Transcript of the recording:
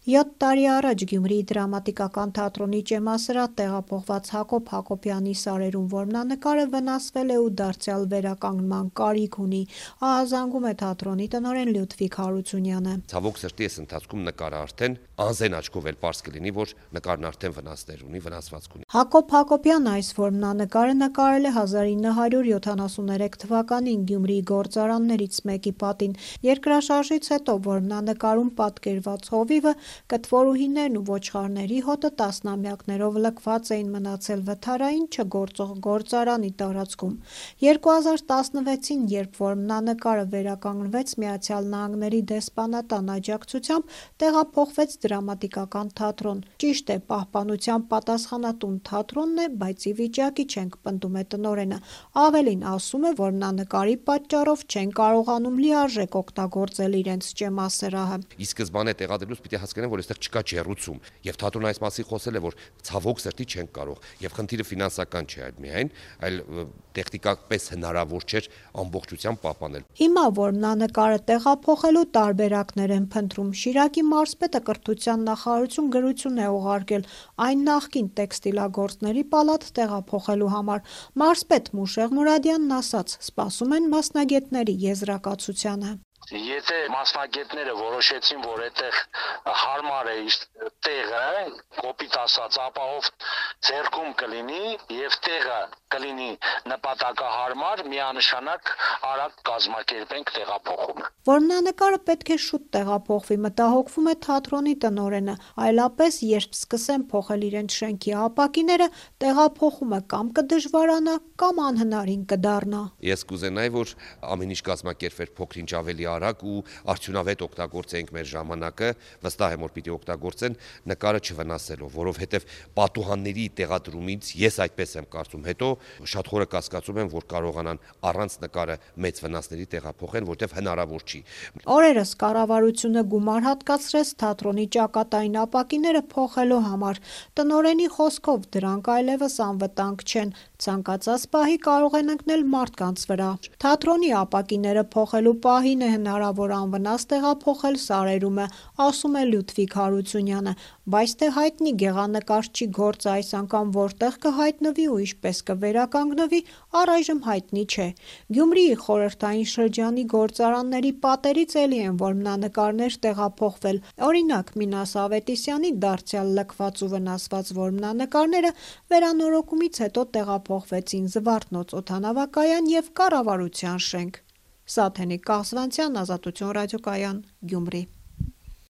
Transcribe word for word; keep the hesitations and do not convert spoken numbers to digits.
Յոթ տարի առաջ Գյումրիի դրամատիկական թատրոնի ճեմասրահ տեղափոխված Հակոբ Հակոբյանի «Սարերում» որմնանկարը վնասվել է ու դարձյալ վերականգնման կարիք ունի, ահազանգում է թատրոնի տնօրեն Լյուդվիգ Հարությունյանը։ Ցավոք սրտի այս ընթացքում նկարը արդեն անզեն աչքով էլ պարզ կլինի, որ նկարն արդեն վնասներ ունի, վնասվածք ունի։ Հակոբ Հակոբյանը այս որմնանկարը նկարել է հազար ինը հարյուր յոթանասուններեք թվականին Գյումրիի գործարաններից մեկի պատին։ Երկրաշարժից հետո որմնանկարում պատկերված հովիվը, կտվորուհիներն ու ոչխարների հոտը տասնամյակներով լքված էին մնացել վթարային չգործող գործարանի տարածքում։ երկու հազար տասնվեցին, երբ որմնանկարը վերականգնվեց Միացյալ Նահանգների դեսպանատան աջակցությամբ, տեղափոխվեց դրամատիկական թատրոն։ Ճիշտ է, պահպանության պատասխանատուն թատրոնն է, բայց ի վիճակի չենք, պնդում է տնօրենը։ Ավելին, ասում է, որմնանկարի պատճառով չեն կարողանում լիարժեք օգտագործել իրենց ճեմասրահը։ Ի սկզբանե տեղադրելուց պիտի հասկանան, որ այստեղ չկա ջեռուցում, եւ թատրոնը այս մասին խոսել է, որ ցավոք սրտի չենք կարող, եւ խնդիրը ֆինանսական չէ այլ միայն, այլ տեխնիկապես հնարավոր չէր ամբողջությամբ պահպանել։ Հիմա որմնանկարը տեղափոխելու տարբերակներ են փնտրում։ Շիրակի մարզպետը կրթության նախարարություն գրություն է ուղարկել այն նախկին տեքստիլագործների պալատ տեղափոխելու համար։ Մարզպետ Մուշեղ Մուրադյանն ասաց՝ սպասում են մասնագետների եզրակացությանը։ Եթե մասնագետները որոշեցին, որ այդտեղ հարմար է տեղը, կոպիտ ասած, ապահով ձեռքում կլինի եւ տեղը կլինի նպատակահարմար, միանշանակ արագ կազմակերպենք տեղափոխումը։ Որմնանկարը պետք է շուտ տեղափոխվի, մտահոգվում է թատրոնի տնօրենը, այլապես երբ սկսեն փոխել իրենց շենքի ապակիները, տեղափոխումը կամ կդժվարանա, կամ անհնարին կդառնա։ Ես կուզենայի, որ ամեն ինչ կազմակերպվեր փոքր-ինչ ավելի արագ ու արդյունավետ օգտագործենք մեր ժամանակը, վստահ եմ, որ պիտի օգտագործեն նկարը չվնասելով, որովհետև պատուհանների տեղադրումից ես այդպես եմ կարծում, հետո շատ խորը կասկածում եմ, որ կարողանան առանց նկարը մեծ վնասների տեղափոխեն, որտեղ հնարավոր չի։ Օրերս կառավարությունը գումար հատկացրեց թատրոնի ճակատային ապակիները փոխելու համար։ Տնօրենի խոսքով դրանք այլևս անվտանգ չեն, ցանկացած պահի կարող են ընկնել մարդկանց վրա։ Թատրոնի ապակիները փոխելու պահին է հնարավոր անվնաս տեղափոխել Սարերումը, ասում է Լյուդվիգ Հարությունյանը, բայց թե հայտնի գեղանկարչի գործը այս անգամ որտեղ կհայտնվի ու ինչպես կվերականգնվի, առայժմ հայտնի չէ։ Գյումրիի խորհրդային շրջանի գործարանների պատերից էլի են որմնանկարներ տեղափոխվել։ Օրինակ, Մինաս Ավետիսյանի դարձյալ լքված ու վնասված որմնանկարները վերանորոգումից հետո տեղափոխվեցին Զվարթնոց օդանավակայան և կառավարության շենք։ Սաթենիկ Կաղզվանցյան, Ազատություն ռադիոկայան, Գյումրի։